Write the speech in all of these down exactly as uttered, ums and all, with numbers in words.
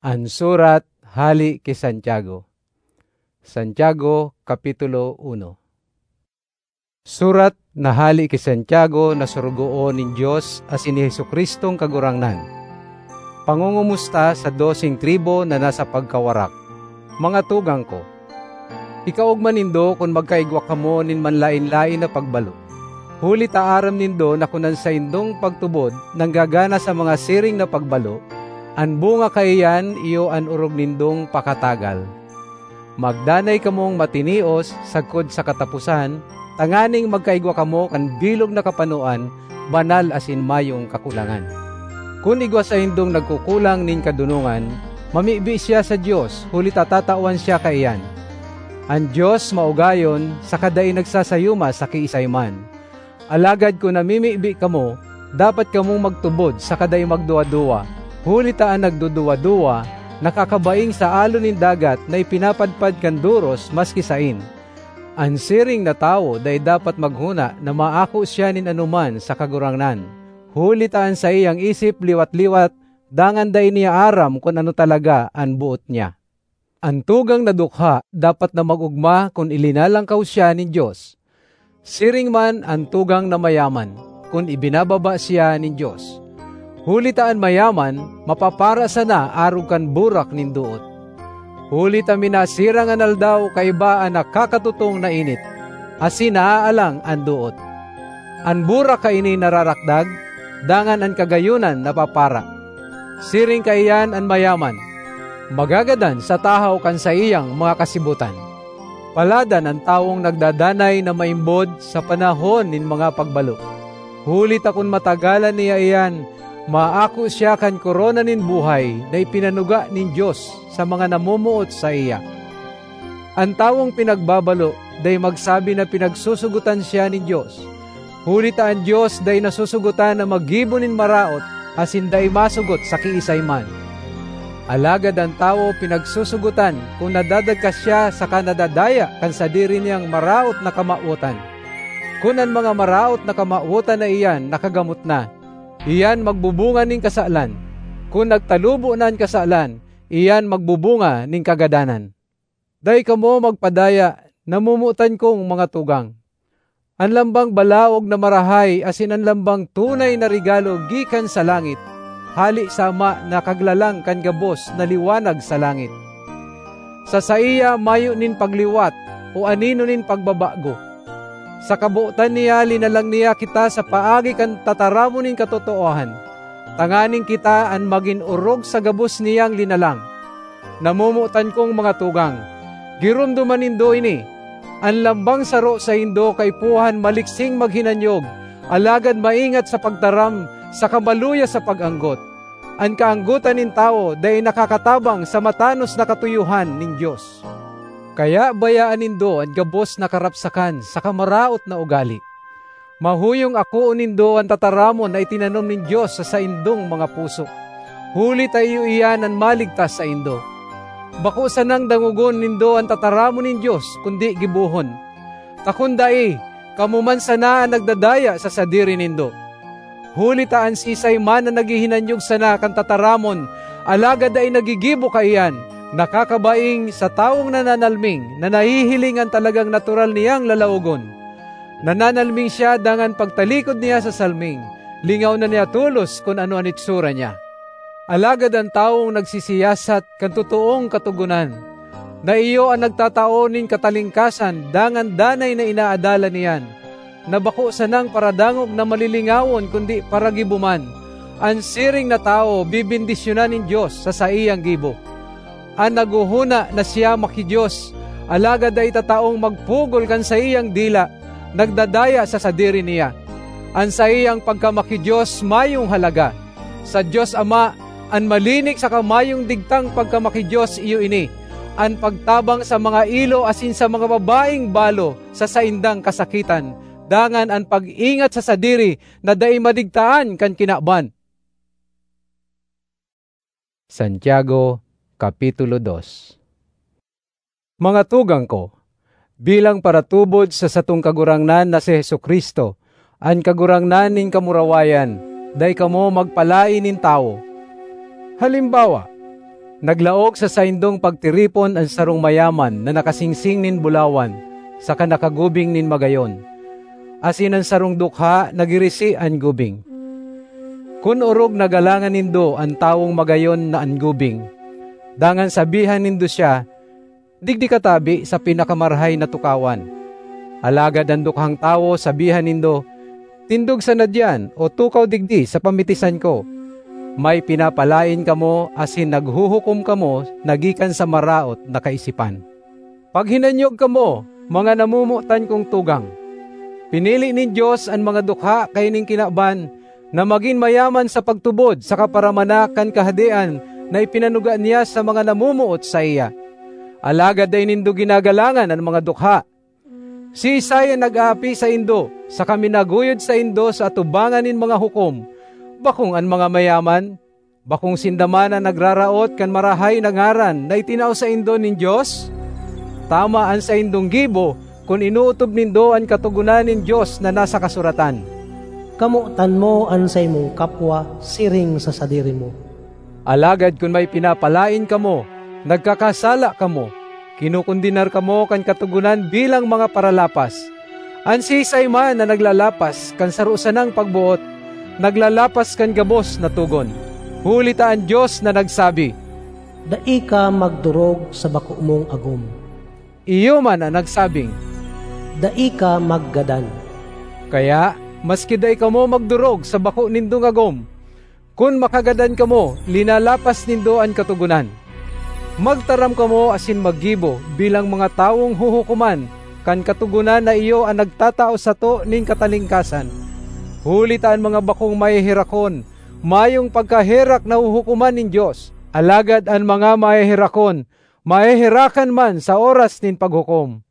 An surat hale ki Santiago. Santiago, Kapitulo uno. Surat na hale ki Santiago na sorogoon nin Dios asin ni Jesu-Cristong Kagurangnan. Pangongomusta sa doseng tribu na nasa pagkawarak. Mga tugang ko, ikaogma nindo kun magkaigwa kamo nin manlaen-laen na pagbalo. Huli ta aram nindo na kun an saindong pagtubod nanggagana sa mga siring na pagbalo, an bunga kaiyan iyo an orog nindong pakatagal. Magdanay kamong matinios sagkod sa kataposan, tanganing magkaigwa kamo kan bilog na kapanoan, banal asin mayong kakulangan. Kun igwa saindong nagkukulang nin kadonongan, mamibi siya sa Dios, huli ta tatawan siya kaiyan. An Dios maugayon saka dai nagsasayuma sa kiisay man. Alagad kun namimibi kamo, dapat kamong magtubod saka dai magduwa-duwa, huli ta an nagduduwa-duwa nakakabaing sa alo nin dagat na ipinapadpad kan doros maski saen. An siring na tawo dai dapat maghona na maako siya nin anoman sa Kagurangnan, huli ta an saiyang isip liwat-liwat, dangan dai niya aram kun ano talaga an boot niya. An tugang na dukha dapat na mag-ogma kun ilinalangkaw siya nin Dios. Siring man an tugang na mayaman, kun ibinababa siya nin Dios. Huli ta an mayaman mapapara sana arog kan burak nin doot. Huli ta minasirang an aldaw kaiba an nakakatutong na init, asin naaalang an doot. An burak kaini nararakdag, dangan an kagayonan napapara. Siring kaiyan an mayaman, magagadan sa tahaw kan saiyang mga kasibotan. Paladan an tawong nagdadanay na maimbod sa panahon nin mga pagbalo. Huli ta kun matagalan niya iyan, maako siya kan korona nin buhay na ipinanuga nin Dios sa mga namomoot saiya. An tawong pinagbabalo dai magsabi na pinagsusugotan siya nin Dios, huli ta an Dios dai nasusugotan na maggibo nin maraot asin dai masugot sa kiisay man. Alagad an tawo pinagsusugotan kun nadadagka siya saka nadadaya kan sadiri niyang maraot na kamawotan. Kun an mga maraot na kamawotan na iyan nakagamot na, iyan magbubunga nin kasalan. Kun nagtalubo na an kasalan, iyan magbubunga nin kagadanan. Dai kamo magpadaya, namomotan kong mga tugang. An lambang balaog na marahay asin an lambang tunay na regalo gikan sa langit, hale sa Ama na Kaglalang kan gabos na liwanag sa langit. Sa saiya mayo nin pagliwat o anino nin pagbabago. Sa kabotan niya, linalang niya kita sa paagi kan tataramon nin katotoohan, tanganing kita an magin orog sa gabos niyang linalang. Namomotan kong mga tugang, giromdoman nindo ini: an lambang saro saindo kaipuhan maliksing maghinanyog, alagad maingat sa pagtaram saka maluya sa pag-anggot. An kaanggotan nin tawo dai nakakatabang sa matanos na katuyohan nin Dios. Kaya bayaan nindo an gabos na karapsakan saka maraot na ugale. Mahuyong akoon nindo an tataramon na itinanom nin Dios sa saindong mga puso, huli ta iyo iyan an maligtas saindo. Bako sanang dangogon nindo an tataramon nin Dios, kundi gibohon. Ta kun dai, kamo man sana an nagdadaya sa sadiri nindo. Huli ta an siisay man na naghihinanyog sana kan tataramon, alagad dai naggigibo kaiyan, nakakabaing sa tawong nananalming na nahihiling an talagang natural niyang lalawogon. Nananalming siya dangan pagtalikod niya sa salming, lingaw na niya tolos kun ano an itsura niya. Alagad an tawong nagsisiyasat kan totoong Katogonan, na iyo an nagtatao nin katalingkasan dangan danay na inaadalan niyan, na bako sanang paradangog na malilingawon kundi paragibo man, an siring na tawo bebendisyonan nin Dios sa saiyang gibo. An naghohona na siya maki-Dios, alagad dai tataong magpugol kan saiyang dila, nagdadaya sa sadiri niya. An saiyang pagkamaki-Dios mayong halaga. Sa Dios Ama, an malinig saka mayong digtang pagkamaki-Dios iyo ini: an pagtabang sa mga ilo asin sa mga babaeng balo sa saindang kasakitan, dangan an pag-ingat sa sadiri na dai madigtaan kan kinaban. Santiago, Kapitulo dos. Mga tugang ko, bilang paratubod sa satong Kagurangnan na si Jesu-Cristo, an Kagurangnan nin kamurawayan, dai kamo magpalaen nin tawo. Halimbawa, Naglaog sa saindong pagtiripon an sarong mayaman na nakasingsing nin bulawan saka nakagubing nin magayon, asin an sarong dukha nagirisi an gubing. Kun orog na galangan nindo an tawong magayon na an gubing, dangan sabihan nindo siya, "Digdi ka tabi sa pinakamarahay na tukawan." Alagad an dukhang tawo sabihan nindo, "Tindog sana diyan o tukaw digdi sa pamitisan ko." May pinapalaen kamo asin naghuhukom kamo na gikan sa maraot na kaisipan. Paghinanyog kamo, mga namomotan kong tugang. Pinili nin Dios an mga dukha kaining kinaban na magin mayaman sa pagtubod sa kaparamanak kan Kahadean na ipinanuga niya sa mga namomoot saiya. Alagad dai nindo ginagalangan an mga dukha. Siisay an nag-aapi saindo saka minaguyod saindo sa atubangan nin mga hukom? Bakong an mga mayaman? Bakong sinda man an nagraraot kan marahay na ngaran na itinao saindo nin Dios? Tama an saindong gibo kun inootob nindo an Katogonan nin Dios na nasa kasuratan, "Kamotan mo an saimong kapwa siring sa sadiri mo." Alagad kun may pinapalaen kamo, nagkakasala kamo, kinokondenar kamo kan Katogonan bilang mga paralapas. An siisay man na naglalapas kan saro sanang pagboot, naglalapas kan gabos na togon. Huli ta an Dios na nagsabi, "Dai ka magdorog sa bako mong agom." Iyo man an nagsabing, "Dai ka maggadan." Kaya, maski dai kamo magdorog sa bako nindong agom, kun makagadan kamo, linalapas nindo an Katogonan. Magtaram kamo asin maggibo bilang mga tawong huhukoman kan Katogonan na iyo an nagtatao sato nin katalingkasan. Huli ta an mga bakong maheherakon, mayong pagkaherak na huhukoman nin Dios, alagad an mga maheherakon, maheherakan man sa oras nin paghukom.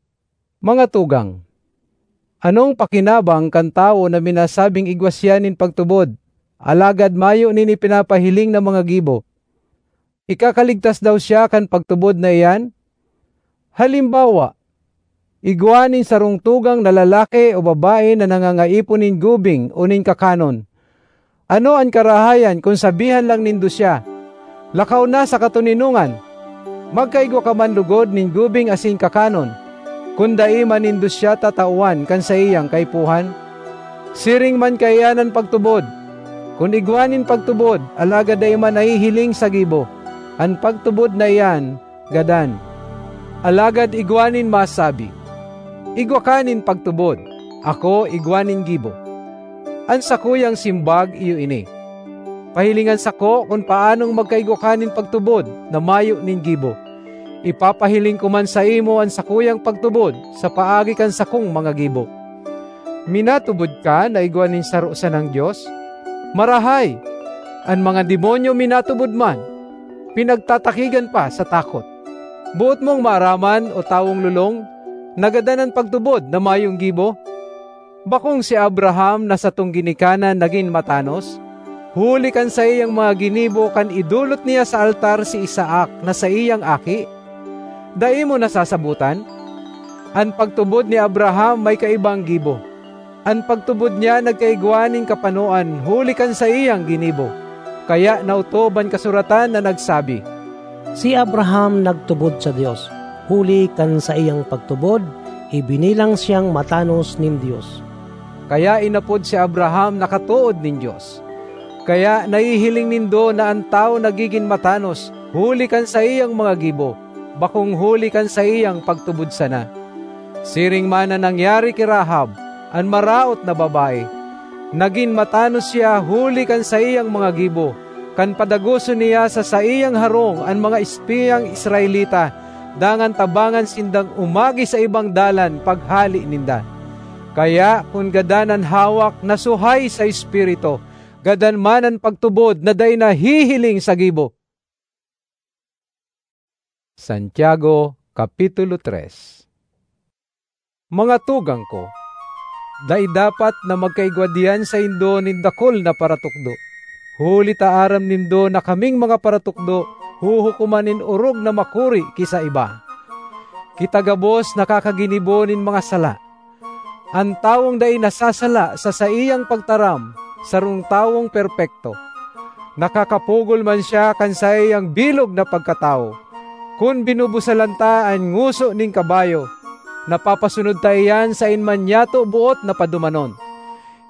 Mga tugang, anong pakinabang kan tawo na minasabing igwa siya nin pagtubod, alagad mayo nin ipinapahiling na mga gibo? Ikakaligtas daw siya kan pagtubod na iyan? Halimbawa, igwa nin sarong tugang na lalaki o babae na nangangaipo nin gubing o nin kakanon. Ano an karahayan kun sabihan lang nindo siya, "Lakaw na sa katoninongan, magkaigwa ka man logod nin gubing asin kakanon," kun dai man nindo siya tatawan kan saiyang kaipuhan? Siring man kaiyan an pagtubod. Kun igwa nin pagtubod, alagad dai man nahihiling sa gibo, an pagtubod na iyan gadan. Alagad igwa nin masabi, "Igwa ka nin pagtubod, ako igwa nin gibo." An sakuyang simbag iyo ini, "Pahilingan sako kun paanong magkaigwa ka nin pagtubod na mayo nin gibo. Ipapahiling ko man saimo an sakuyang pagtubod sa paagi kan sakong mga gibo." Minatubod ka na igwa nin saro sanang Dios? Marahay! An mga demonyo minatubod man, pinagtatakigan pa sa takot. Boot mong maaraman, o tawong lolong, na gadan an pagtubod na mayong gibo? Bakong si Abraham na satong ginikanan nagin matanos, huli kan saiyang mga ginibo kan idolot niya sa altar si Isaac na saiyang aki? Dai mo nasasabotan? An pagtubod ni Abraham may kaibang gibo. An pagtubod niya nagkaigwa nin kapanoan huli kan saiyang ginibo. Kaya naotob an kasuratan na nagsabi, "Si Abraham nagtubod sa Dios, huli kan saiyang pagtubod, ibinilang siyang matanos nin Dios." Kaya inapod si Abraham na katood nin Dios. Kaya nahihiling nindo na an tawo nagigin matanos huli kan saiyang mga gibo, bakong huli kan saiyang pagtubod sana. Siring man an nangyari ki Rahab, an maraot na babae. Nagin matanos siya huli kan saiyang mga gibo, kan padagoson niya sa saiyang harong an mga espiyang Israelita, dangan tabangan sindang umagi sa ibang dalan paghale ninda. Kaya kun gadan an hawak na suhay sa Espiritu, gadan man an pagtubod na dai nahihiling sa gibo. Santiago, Kapitulo tres. Mga tugang ko, dai dapat na magkaigwa diyan saindo nin dakul na paratukdo, huli ta aram nindo na kaming mga paratukdo huhukoman nin orog na makuri ki sa iba. Kita gabos nakakaginibo nin mga sala. An tawong dai nasasala sa saiyang pagtaram, sarong tawong perpekto. Nakakapugol man siya kan saiyang bilog na pagkatawo. Kun binubusalan ta an ngoso nin kabayo, napapasunod ta iyan saen man nyato boot na padumanon.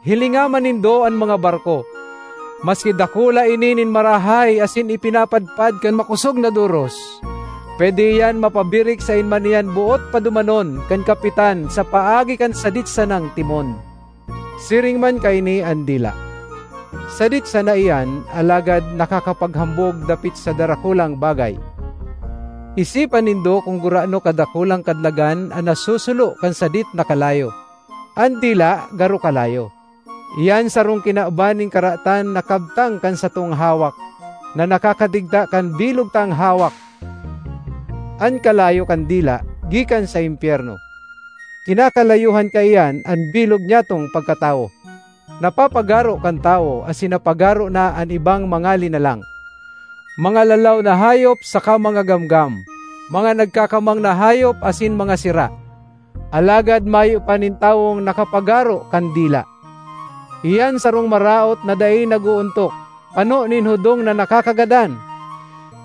Hilinga man nindo an mga barko. Maski dakula ini nin marahay asin ipinapadpad kan makosog na doros, pwede iyan mapabirik saen man iyan boot padumanon kan kapitan sa paagi kan sadit sanang timon. Siring man kaini an dila. Sadit sana iyan, alagad nakakapaghambog dapit sa darakulang bagay. Isipan nindo kun gurano kadakulang kadlagan an nasusulo kan sadit na kalayo. An dila garo kalayo. Iyan sarong kinaban nin karatan na kabtang kan satong hawak, na nakakadigta kan bilog tang hawak. An kalayo kan dila gikan sa impyerno. Kinakalayuhan kaiyan an bilog nyatong pagkatawo. Napapagaro kan tawo asin napagaro na an ibang mga linalang, mga lalaw na hayop saka mga gamgam, mga nagkakamang na hayop asin mga sira. Alagad mayo pa nin tawong nakapagaro kan dila. Iyan sarong maraot na dai nag-oontok, pano nin hudong na nakakagadan.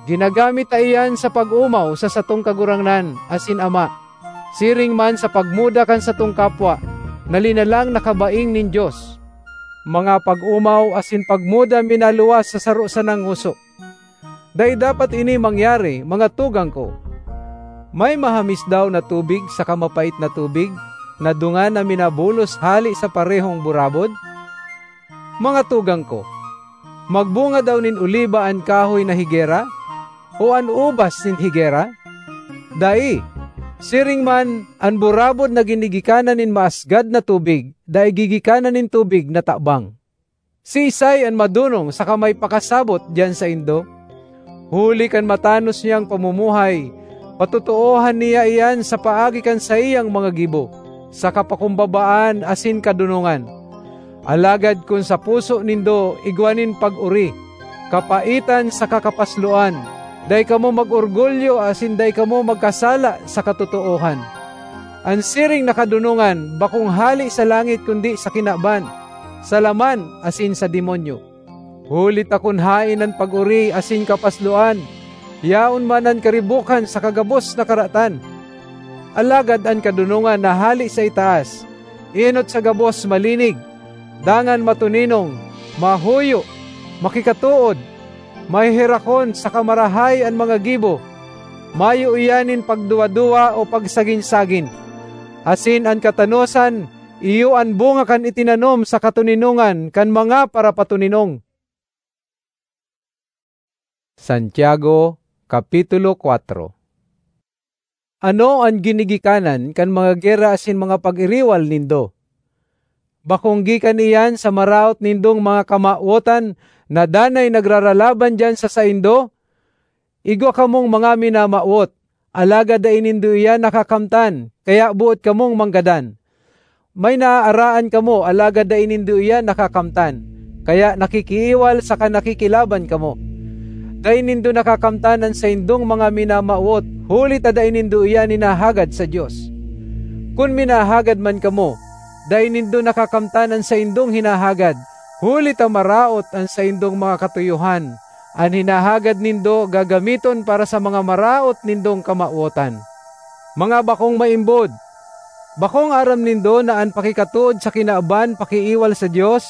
Ginagamit ta iyan sa pag-omaw sa satong Kagurangnan asin Ama, siring man sa pagmuda kan satong kapwa na linalang na kabaing nin Dios. Mga pag-omaw asin pagmuda minaluwas sa saro sanang ngoso. Dai dapat ini mangyari, mga tugang ko. May mahamis daw na tubig saka mapait na tubig na dungan na minabulos hale sa parehong burabod? Mga tugang ko, magbunga daw nin oliba an kahoy na higera, o an ubas nin higera? Dai! Siring man, an burabod na ginigikanan nin maasgad na tubig, dai gigikanan nin tubig na tabang. Siisay an madonong saka may pakasabot diyan saindo? Huli kan matanos niyang pamumuhay, patotoohan niya iyan sa paagi kan saiyang mga gibo, sa kapakumbabaan asin kadonongan. Alagad kun sa puso nindo igwa nin pag-ori, kapaitan saka kapasloan, dai kamo mag-orgulyo asin dai kamo magkasala sa katotoohan. An siring na kadonongan bakong hale sa langit kundi sa kinaban, sa laman asin sa demonyo. Huli ta kun haen an pag-ori asin kapasloan, yaon man an karibokan saka gabos na karatan. Alagad an kadonongan na hale sa itaas, enot sa gabos malinig, dangan matoninong, mahuyo, makikatood, maheherakon saka marahay an mga gibo. Mayo iyan nin pagduwa-duwa o pagsagin-sagin. Asin an katanosan iyo an bunga kan itinanom sa katoninongan kan mga parapatoninong. Santiago, Kapitulo kuwatro. Ano an ginigikanan kan mga gera asin mga pag-iriwal nindo? Bakong gikan iyan sa maraot nindong mga kamawotan na danay nagraralaban diyan sa saindo? Igwa kamong mga minamawot, alagad dai nindo iyan nakakamtan, kaya boot kamong manggadan. May naaaraan kamo, alagad dai nindo iyan nakakamtan, kaya nakikiiwal saka nakikilaban kamo. Dai nindo nakakamtan an saindong mga minamawot, huli ta dai nindo iyan hinahagad sa Dios. Kun minahagad man kamo, dai nindo nakakamtan an saindong hinahagad, huli ta maraot an saindong mga katuyohan. An hinahagad nindo gagamiton para sa mga maraot nindong kamawotan. Mga bakong maimbod, bakong aram nindo na an pakikatood sa kinaban pakiiwal sa Dios?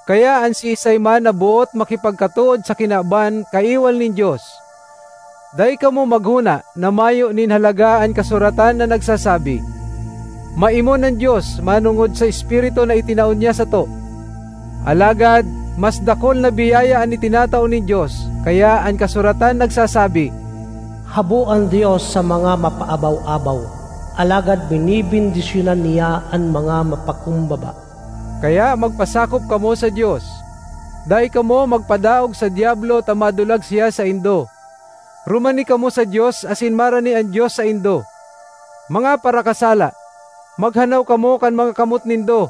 Kaya an siisay man na boot makipagkatood sa kinaban kaiwal nin Dios. Dai kamo maghona na mayo nin halaga an kasuratan na nagsasabi, "Maimon an Dios manongod sa Espiritu na itinao niya sato." Alagad mas dakul na biyaya an itinatao nin Dios, kaya an kasuratan nagsasabi, "Habo an Dios sa mga mapaabaw-abaw, alagad binibendisyonan niya an mga mapakumbaba." Kaya magpasakop kamo sa Dios. Dai kamo magpadaog sa Diablo ta madulag siya saindo. Rumani kamo sa Dios asin marani an Dios saindo. Mga parakasala, maghanaw kamo kan mga kamot nindo.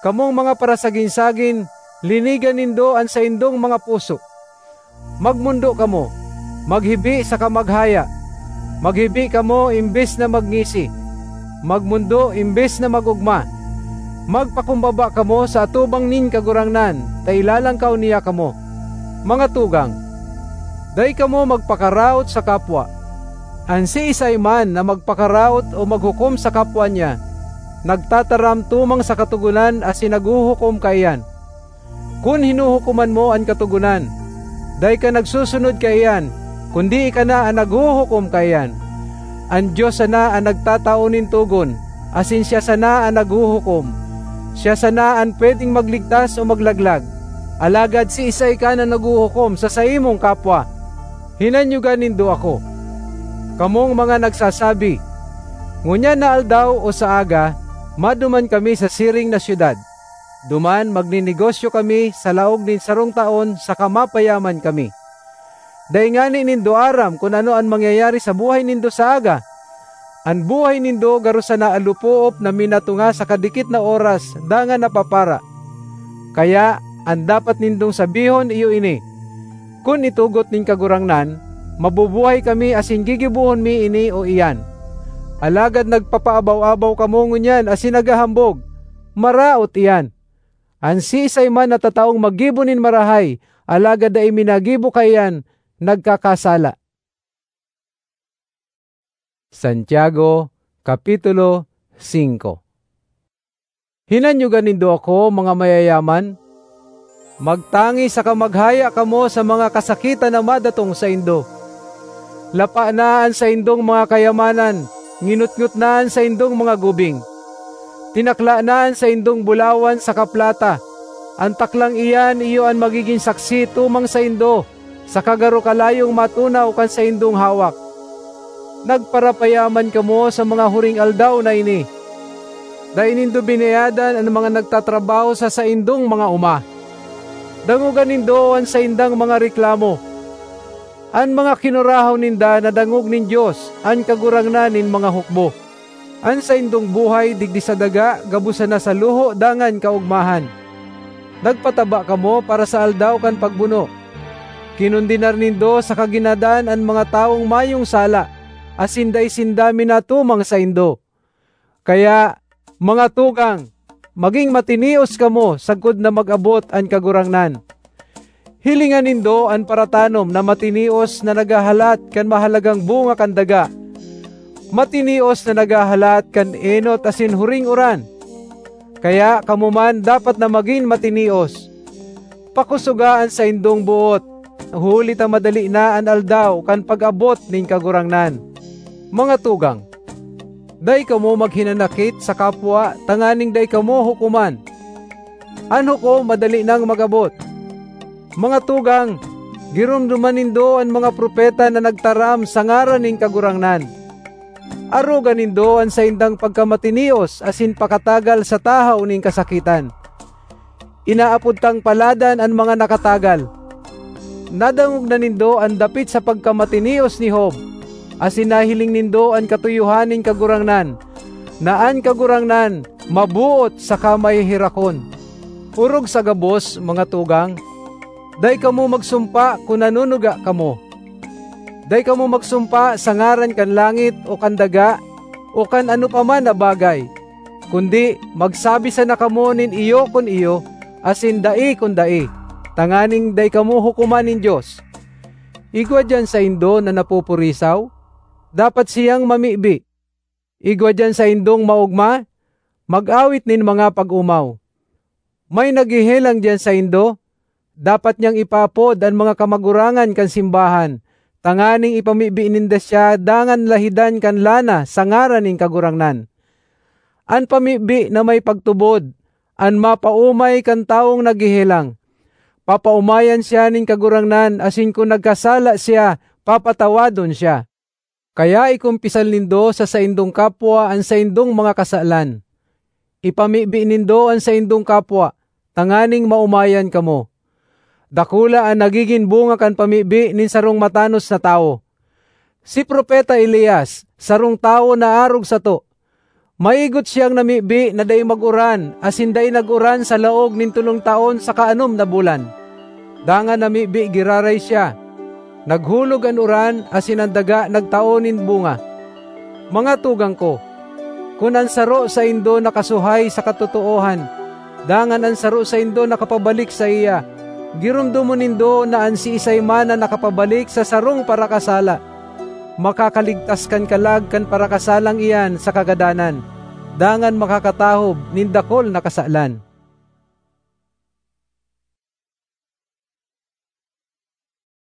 Kamong mga parasagin-sagin, linigan nindo an saindong mga puso. Magmondo kamo, maghibi saka maghaya. Maghibi kamo imbes na magngisi. Magmondo imbes na mag-ogma. Magpakumbaba kamo sa atubang nin Kagurangnan, ta ilalangkaw niya kamo. Mga tugang, dai kamo magpakaraot sa kapwa. An siisay man na magpakaraot o maghukom sa kapwa niya, nagtataram tumang sa Katogonan asin naghuhukom kaiyan. Kun hinuhukoman mo an Katogonan, dai ka nagsusunod kaiyan, kundi ika na an naghuhukom kaiyan. An Dios sana an nagtatao nin togon, asin siya sana an naghuhukom. Siya sana an pwedeng magligtas o maglaglag. Alagad siisay ka na naghuhukom sa saimong kapwa? Hinanyoga nindo ako, kamong mga nagsasabi, "Ngunyan na aldaw o sa aga, maduman kami sa siring na syudad. Duman magninegosyo kami sa laog nin sarong taon saka mapayaman kami." Dai ngani nindo aram kun ano an mangyayari sa buhay nindo sa aga. An buhay nindo garo sana alopoop na minatunga sa kadikit na oras dangan napapara. Kaya, an dapat nindong sabihon iyo ini, "Kun itugot nin Kagurangnan, mabubuhay kami asin gigibohon mi ini o iyan." Alagad nagpapaabaw-abaw kamo ngunyan asin naghahambog, "Maraot iyan!" An siisay man na tataong maggibo nin marahay, alagad dai minagibo kaiyan, nagkakasala. Santiago, Kapitulo singko. Hinanyoga nindo ako, mga mayayaman. Magtangi saka maghaya kamo sa mga kasakitan na madatong saindo. Lapa na an saindong mga kayamanan, nginotngot na an saindong mga gubing. Tinakla na an saindong bulawan saka plata. An taklang iyan iyo an magigin saksi tumang saindo, saka garo kalayong matunaw kan saindong hawak. Nagparapayaman kamo sa mga huring aldaw na ini. Dai nindo binayadan an mga nagtatrabaho sa saindong mga oma. Dangoga nindo an saindang mga reklamo. An mga kinurahaw ninda nadangog nin Dios, an Kagurangnan nin mga hukbo. An saindong buhay digdi sa daga gabos sana sa luho dangan kaogmahan. Nagpataba kamo para sa aldaw kan pagbuno. Kinondenar nindo saka ginadan an mga tawong mayong sala, asin dai sinda minatumang saindo. Kaya, mga tugang, magin matinios kamo sagkod na mag-abot an Kagurangnan. Hilinga nindo an paratanom na matinios na naghahalat kan mahalagang bunga kan daga, matinios na naghahalat kan enot asin huring uran. Kaya kamo man dapat na magin matinios. Pakosoga an saindong boot, huli ta madali na an aldaw kan pag-abot nin Kagurangnan. Mga tugang, dai kamo maghinanakit sa kapwa tanganing dai kamo hukoman. An hukom madali nang mag-abot. Mga tugang, giromdoman nindo an mga propeta na nagtaram sa ngaran nin Kagurangnan. Aroga nindo an saindang pagkamatinios asin pakatagal sa tahaw nin kasakitan. Inaapod tang paladan an mga nakatagal. Nadangog na nindo an dapit sa pagkamatinios ni Job, asin nahiling nindo an katuyohan nin Kagurangnan, na an Kagurangnan maboot saka maheherakon. Orog sa gabos, mga tugang, dai kamo magsumpa kun nanunuga kamo. Dai kamo magsumpa sa ngaran kan langit o kan daga o kan ano pa man na bagay, kundi magsabi sana kamo nin iyo kun iyo asin dai kun dai, tanganing dai kamo hukoman nin Dios. Igwa diyan saindo na napupurisaw? Dapat siyang mamibi. Igwa diyan saindong maogma? Mag-awit nin mga pag-omaw. May naghehelang diyan saindo? Dapat niyang ipaapod an mga kamagurangan kan simbahan, tanganing ipamibi ninda siya dangan lahidan kan lana sa ngaran nin Kagurangnan. An pamibi na may pagtubod, an mapaomay kan tawong naghehelang. Papaomayan siya nin Kagurangnan, asin kun nagkasala siya, papatawadon siya. Kaya ikumpisal nindo sa saindong kapwa an saindong mga kasalan. Ipamibi nindo an saindong kapwa, tanganing maomayan kamo. Dakula an nagigin bunga kan pamibi nin sarong matanos na tawo. Si Propeta Elias, sarong tawo na arog sato. Maigot siyang namibi na dai mag-uran asin dai nag-uran sa laog nin tolong taon saka anom na bulan. Dangan namibi giraray siya. Naghulog an uran asin an daga nagtao nin bunga. Mga tugang ko, kun an saro saindo nakasuhay sa katotoohan, dangan an saro saindo nakapabalik saiya, Giromdomon nindo na an siisay man na nakapabalik sa sarong parakasala, makakaligtas kan kalag kan parakasalang iyan sa kagadanan, dangan makakatahob nin dakul na kasalan.